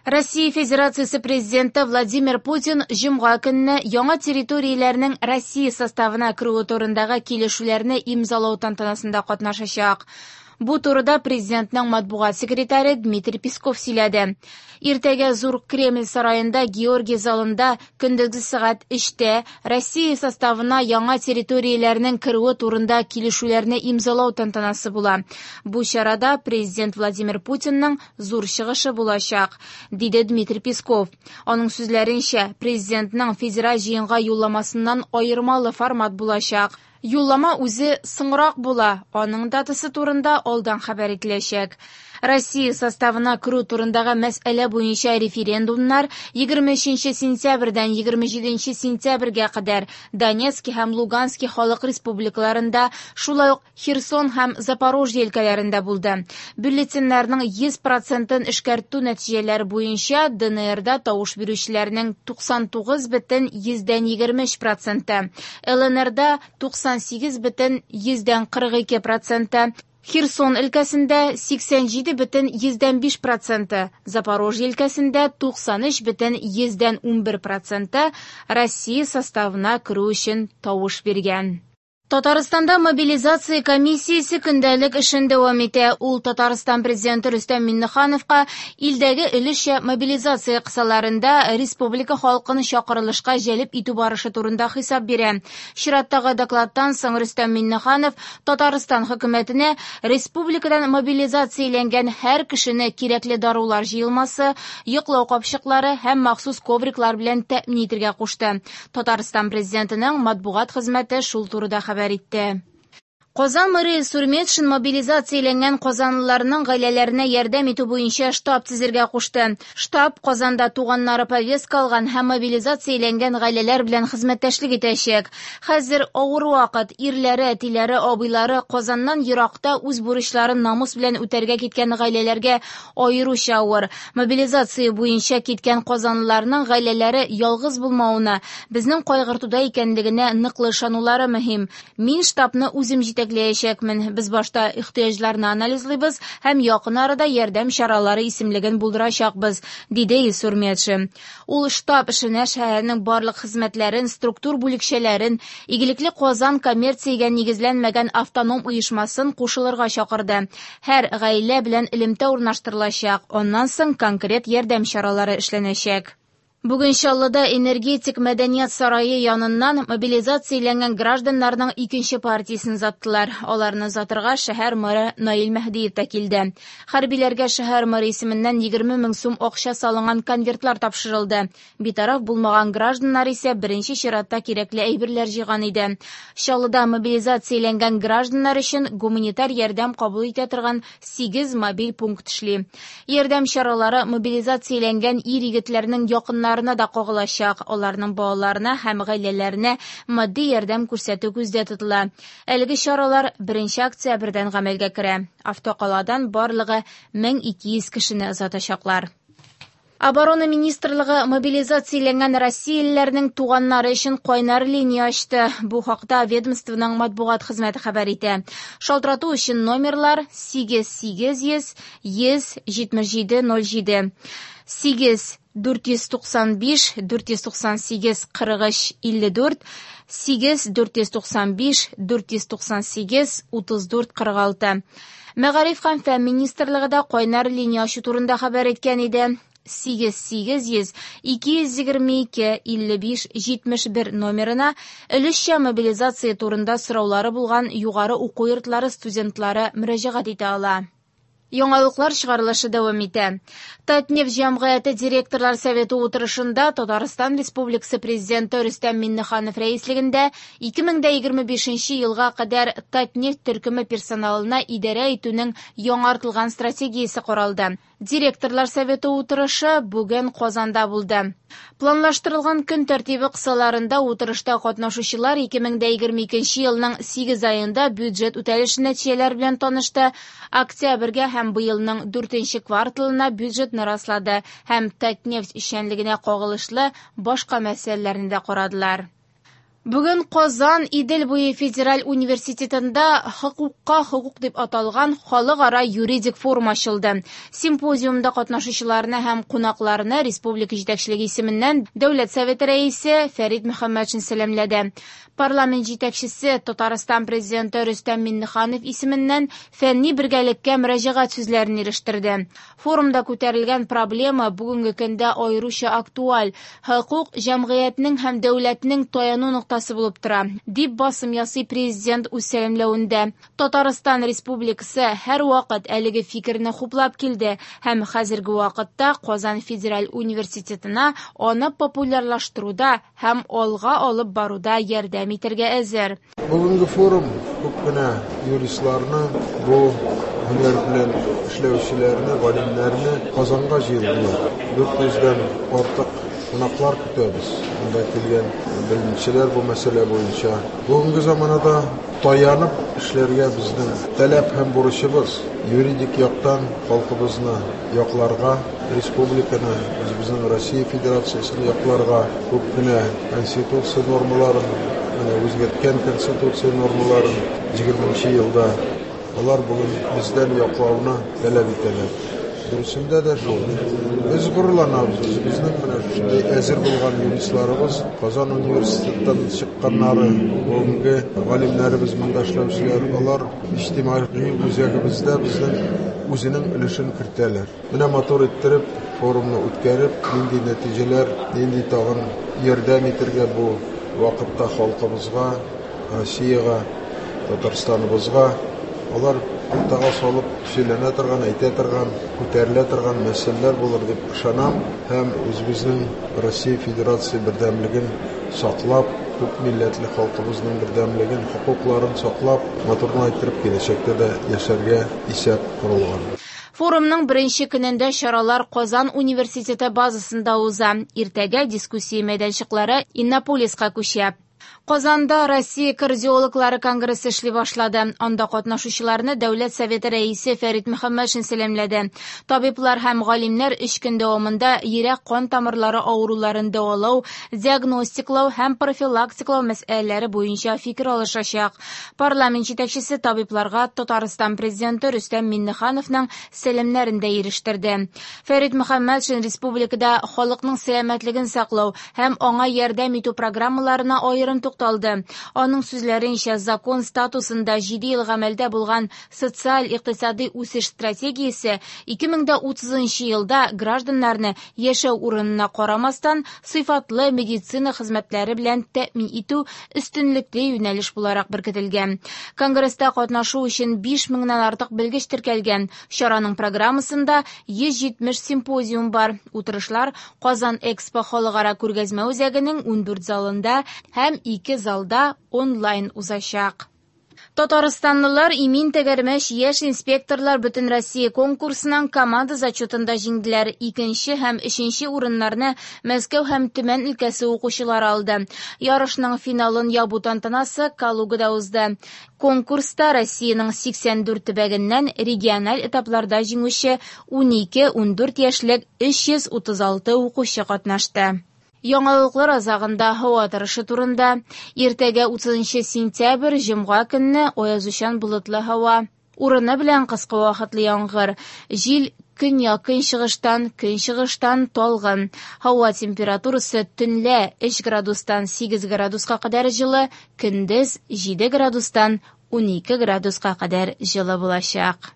Россия Федерациясе Президенты Владимир Путин җомга көнне яңа территорияләрнең Россия составына керүе турындагы килешүләрне имзалау тантанасында катнашачак. Бу турыда президентның матбугат секретаре Дмитрий Песков сөйләде. Иртәгә Зур Кремль сараенда Георгий залында көндезге сәгать 3-тә Россия составына яңа территорияләрнең керүе турында килешүләрне имзалау тантанасы була. Бу чарада президент Владимир Путинның зур чыгышы булачак, диде Дмитрий Песков. Аның сүзләренчә, президентның федераль җыенга юлламасыннан аермалы формат булачак. Юллама үзе соңрак була, аның датасы турында алдан хәбәр ителәчәк. Россия составына керү турындагы мәсьәлә буенча референдумнар 23 сентябрьдән 27 сентябрьгә кадәр Донецки һәм Лугански халык республикаларында, шулай ук Херсон һәм Запорожье өлкәләрендә булды. Бюллетеньнәрнең 100 процентын эшкәртү нәтиҗәләре буенча ДНРда тавыш бирүчеләрнең 99,23 проценты, ЛНРда 98,42 проценты, Херсон өлкәсендә 87,5 проценты, Запорожье өлкәсендә 93,11 проценты Россия составына керү өчен тавыш биргән. Татарстанда мобилизация комиссиясе көндәлек эшен дәвам итә. Ул Татарстан президенты Рөстәм Миңнехановка илдәге өлешчә мобилизация кысаларында республика халкын чакырылышка җәлеп итү барышы турында хисап бирә. Чираттагы докладтан соң Рөстәм Миңнеханов Татарстан хөкүмәтенә республикадан мобилизацияләнгән һәр кешене кирәкле дарулар җыелмасы, йоклау капчыклары һәм махсус ковриклар белән тәэмин итәргә кушты. Татарстан президентының матбугат хезмәте шул турыда хәбәр итте. Казан мэры Илсур Метшин мобилизацияләнгән казанлыларның гаиләләренә ярдәм итү буенча штаб төзергә кушты. Штаб Казанда туганнары повестка алган һәм мобилизацияләнгән гаиләләр белән хезмәттәшлек итәчәк. Хәзер авыр вакыт. Ирләре, әтиләре, абыйлары Казаннан еракта үз бурычларын намус белән үтәргә киткән гаиләләргә аеруча авыр. Мобилизация буенча киткән казанлыларның гаиләләре ялгыз булмавына, безнең кайгыртуда икәнлегенә ныклы ышанулары мөһим. Мин штабны үзем җитәкләячәкмен. Без башта ихтыяҗларны анализлыйбыз һәм якын арада ярдәм чаралары исемлеген булдырачакбыз, диде Илсур Метшин. Ул штаб эшенә шәһәрнең барлык хезмәтләрен, структур бүлекчәләрен, Игелекле Казан коммерциягә нигезләнмәгән автоном оешмасын кушылырга чакырды. Һәр гаилә белән элемтә урнаштырылачак, аннан соң конкрет ярдәм чаралары эшләнәчәк. Бүген Чаллыда Энергетик мәдәният сарае яныннан мобилизацияләнгән гражданнарның икенче партиясен озаттылар. Аларны озатырга шәһәр мэры Наил Мәһдиев та килде. Хәрбиләргә шәһәр мэры исеменнән 20 мең сум акча салынган конвертлар тапшырылды. Битараф булмаган гражданнар исә беренче чиратта кирәкле әйберләр җыйган иде. Чаллыда мобилизацияләнгән гражданнар өчен гуманитар ярдәм кабул итә торган 8 мобиль пункт эшли. Ярдәм чаралары мобилизацияләнгән ир-егетләрнең якыннарына да кагылачак. Аларның балаларына һәм гаиләләренә матди ярдәм күрсәтү күздә тотыла. Әлеге чаралар 1 октябрьдән гамәлгә керә. Автокаладан барлыгы 1200 кешене озатачаклар. Оборона министрлыгы мобилизацияләнгән россиялеләрнең туганнары өчен кайнар линия ачты. Бу хакта ведомствоның матбугат хезмәте хәбәр итә. Шалтырату өчен номерлар 8 800 177 07, 8 495 498 43 54, 8 495 498 34 46. Мәгариф һәм фән министрлыгы да кайнар линия ачу турында хәбәр иткән иде. 8 800 222 55 71 номерына өлешчә мобилизация турында сораулары булган югары уку йортлары студентлары мөрәҗәгать итә ала. Яңалыклар чыгарылышы дәвам итә. Татнефть җәмгыяте директорлар советы утырышында Татарстан Республикасы Президенты Рөстәм Миңнеханов рәислегендә 2025 елга кадәр Татнефть төркеме персоналына идарә итүнең яңартылган стратегиясе каралды. Директорлар советы утырышы бүген Казанда булды. Планлаштырылган көн тәртибе кысаларында утырышта катнашучылар 2022 елның 8 аенда бюджет үтәлеше нәтиҗәләре белән танышты, октябрьгә һәм быелның 4 кварталына бюджетны раслады һәм Татнефть эшчәнлегенә кагылышлы башка мәсьәләләрне дә карадылар. Бүген Казан Идел буе федераль университетында «Хокукка хокук» дип аталган халыкара юридик форум ачылды. Симпозиумда катнашучыларны һәм кунакларны республика җитәкчелеге исеменнән Дәүләт Советы Рәисе Фәрит Мөхәммәтшин сәламләде. Парламент җитәкчесе Татарстан Президенты Рөстәм Миңнеханов исеменнән фәнни бергәлеккә мөрәҗәгать сүзләрен ирештерде. Форумда күтәрелгән проблема бүгенге көндә аеруча актуаль. Хокук җәмгыятьнең һәм дәүләтнең таяну ноктасы булып тора, дип басым ясый Президент үз сәламләвендә. Татарстан Республикасы һәрвакыт әлеге фикерне хуплап килде һәм хәзерге вакытта Казан федераль университетына аны популярлаштыруда һәм алга алып баруда ярдәм итәргә әзер. Бүгенге форум күп кенә юристларны, бу һөнәр белән эшләүчеләрне, галимнәрне Казанга җыелдылар. 400 дән артык кунаклар көтәбез. Монда килгән белгечләр бу мәсьәлә буенча. Бүгенге заманада таянып эшләргә безнең таләп һәм бурычыбыз юридик яктан халкыбызны якларга, республиканы, үзебезнең Россия Федерациясен якларга, күп кенә конституция нормаларын, менә үзгәрткән конституция нормаларын 20 елда алар бүген бездән яклауны таләп итәләр. Дөресендә дә шул. Без горурланабыз, үзебезнең менә шушындый әзер булган юристларыбыз, Казан университеттан чыкканнары, бүгенге галимнәребез монда эшләүчеләр, алар иҗтимагый үзәгебездә безнең үзенең өлешен кертәләр. Менә матур иттереп форумны үткәреп, нинди нәтиҗәләр, нинди тагын ярдәм итәргә бу вакытта халкыбызга, Россиягә, Татарстаныбызга, алар уртага салып сөйләнә торган, әйтә торган, күтәрелә торган мәсьәләләр булыр дип ышанам һәм үзебезнең Россия Федерация бердәмлеген саклап, күп милләтле халкыбызның бердәмлеген, хокукларын саклап, матурны әйттереп киләчәктә дә яшәргә исәп корылган. Форумның беренче көнендә чаралар Казан университеты базасында уза. Иртәгә дискуссия мәйданчыклары Иннополиска күчә. Казанда Россия кардиологлары конгрессы эшли башлады. Анда катнашучыларны Дәүләт Советы рәисе Фәрит Мөхәммәтшин сәламләде. Табиблар һәм галимнәр 3 көн дәвамында йөрәк-кан тамырлары авыруларын дәвалау, диагностиклау һәм профилактиклау мәсьәләләре буенча фикер алышачак. Парламент җитәкчесе табибларга Татарстан Президенты Рөстәм Миңнехановның сәламнәрен дә ирештерде. Фәрит Мөхәммәтшин республикада халыкның сәламәтлеген саклау һәм аңа ярдәм итү программаларына аерым тукталды. Аның сүзләренчә, закон статусында 7 ел гамәлдә булган социаль-икътисади үсеш стратегиясе 2030 елда гражданнарны яшәү урынына карамастан сыйфатлы медицина хезмәтләре белән тәэмин итү өстенлекле юнәлеш буларак беркетелгән. Конгресста катнашу өчен 5000-нән артык белгеч теркәлгән. Чараның программасында 170 симпозиум бар. Утырышлар Казан Экспо халыкара күргәзмә үзәгенең 14 залында һәм 2 залда онлайн узачак. Татарстанлылар имин тәгәрмәч яшь инспекторлар Бөтенроссия конкурсының команда зачетында җиңделәр. Икенче һәм өченче урыннарны Мәскәү һәм Төмән өлкәсе укучылары алды. Ярышның финалын ябу тантанасы Калугада узды. Конкурста Россиянең 84 төбәгеннән региональ этапларда җиңүче 12-14 яшьлек 336 укучы катнашты. Яңалыклар азагында һава торышы турында. Иртәгә 30 сентябрь җомга көнне аязучан болытлы һава. Урыны белән кыска вакытлы яңгыр. Җил көньяк-көнчыгыштан, көнчыгыштан талгын. Һава температурасы төнлә 3 градустан 8 градуска кадәр җылы, көндез 7 градустан 12 градуска кадәр җылы булачак.